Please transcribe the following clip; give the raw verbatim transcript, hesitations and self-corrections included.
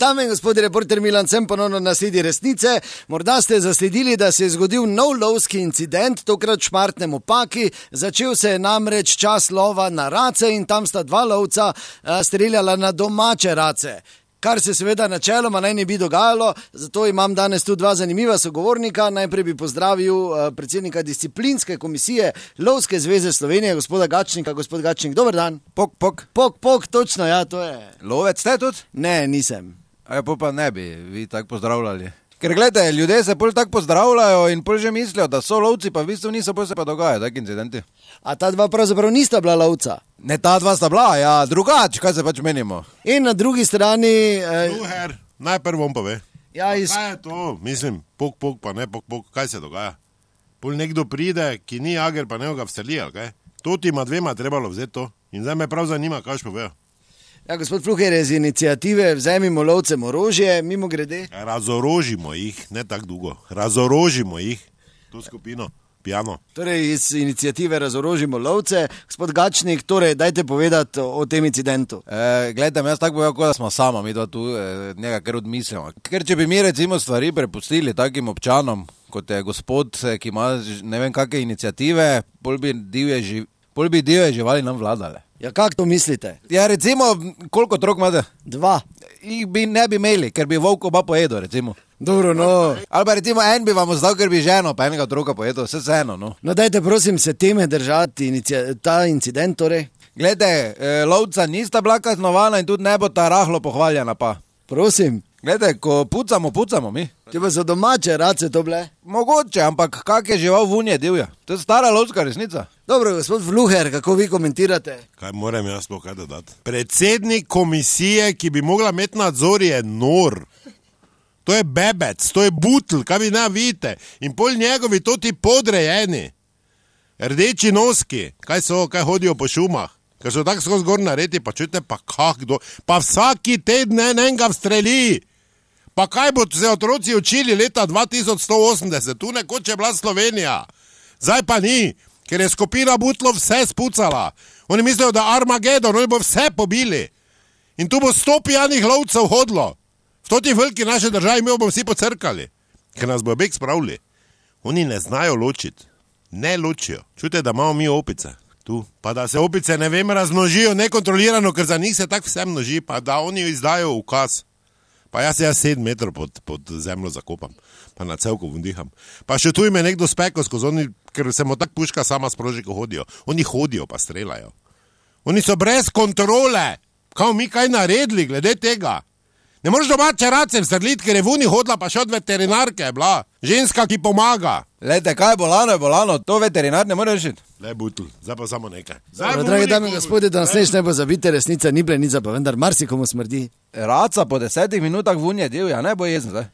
Dame in gospodi, reporter Milan Sem ponovno na sledi resnice. Morda ste zasledili, da se je zgodil nov lovski incident, tokrat v Šmartnem ob Paki. Začel se je namreč čas lova na race in tam sta dva lovca streljala na domače race. Kar se seveda načeloma naj ne bi dogajalo, zato imam danes tu dva zanimiva sogovornika. Najprej bi pozdravil predsednika disciplinske komisije Lovske zveze Slovenije, gospoda Gačnika. Gospod Gačnik, dober dan. Pok, pok. Pok, pok, točno, ja, to je. Lovec ste tudi? Ne, nisem. A pa ne bi vi tako pozdravljali. Ker gledajte, ljudje se pol tako pozdravljajo in pol že mislijo, da so lovci, pa v bistvu niso, pol se pa dogajajo taki incidenti. A ta dva pravzaprav nista bila lovca? Ne, ta dva sta bila, ja, drugač, kaj se pač menimo. In na drugi strani... Eh... Luher, najprej vam pove. Ja, iz... Kaj je to? Mislim, pok, pok, pa ne pok, pok, kaj se dogaja? Pol nekdo pride, ki ni jager, pa ne ga vseli, ali kaj? To ti ima dvema trebalo vzeti to. In zdaj me prav zanima, kaj še povejo. Ja, gospod Fluher je z iniciative Vzemimo lovcem orožje, mimo grede. Razorožimo jih, ne tako dolgo. Razorožimo jih, to skupino, pijano. Torej, iz iniciative Razorožimo lovce. Gospod Gačnik, torej, dajte povedati o tem incidentu. E, gledajte, jaz tako povedal, da smo sama, mi da tu e, nekaj kar odmislimo. Ker če bi mi recimo stvari prepustili takim občanom, kot je gospod, ki ima ne vem kakve iniciative, pol bi divje, živ... pol bi divje živali nam vladale. Ja, kako to mislite? Ja, recimo, koliko otrok imate? Dva. Jih bi ne bi imeli, ker bi volk oba pojedel, recimo. Dobro, no. Ali pa recimo en bi vam ozdal, ker bi ženo pa enega otroka pojedel, vse z eno, no. No, dajte prosim se teme držati, inicia... ta incident torej. Glede, eh, lovca nista bila kaznovana in tudi ne bo ta rahlo pohvaljena pa. Prosim. Glede, ko pucamo, pucamo mi. Če pa za domače race to bile? Mogoče, ampak kak je žival vunje divja? To je stara lovska resnica. Dobro, gospod Fluher, kako vi komentirate? Kaj moram jaz sploh kaj dodati? Predsednik komisije, ki bi mogla imeti nadzor, je nor. To je bebec, to je butl, kaj vi ne vidite. In pol njegovi to ti podrejeni. Rdeči noski, kaj so, kaj hodijo po šumah. Ker so tako skozi gor naredi, pa čujte, pa kak do... Pa vsaki teden enega vstreli. Pa kaj bo se otroci učili leta dva tisoč sto osemdeset? Tu nekoč je bila Slovenija. Zdaj pa ni, ker je skupina butlov vse spucala. Oni mislijo, da Armagedon, oni bo vse pobili. In tu bo sto pijanih lovcev hodilo. V toti veliki naše državi mi bomo vsi pocrkali. Ker nas bo bek spravili. Oni ne znajo ločiti. Ne ločijo. Čujte, da imamo mi opice. Tu. Pa da se opice, ne vem, razmnožijo nekontrolirano, ker za njih se tako vse množi, pa da oni izdajo ukaz. Pa jaz se jaz sedem metrov pod, pod zemljo zakopam, pa na celko vndiham. Pa še tu ime nekdo spekel skozi oni, ker se mu tak puška sama sproži, ko hodijo. Oni hodijo pa streljajo. Oni so brez kontrole. Kao mi kaj naredili glede tega? Ne moreš domače race vstreliti, ker je vuni hodila pa še od veterinarke je bila. Ženska, ki pomaga. Lejte, kaj je bolano, je bolano, to veterinar ne more rešiti. Le butl, zdaj pa samo nekaj. Dobro, dragi dame in gospodje, da nas neč ne bo zabite, resnica ni plenica, pa vendar marsikomu smrdi. Raca po desetih minutah vunje divja, ne bo jezen zdaj.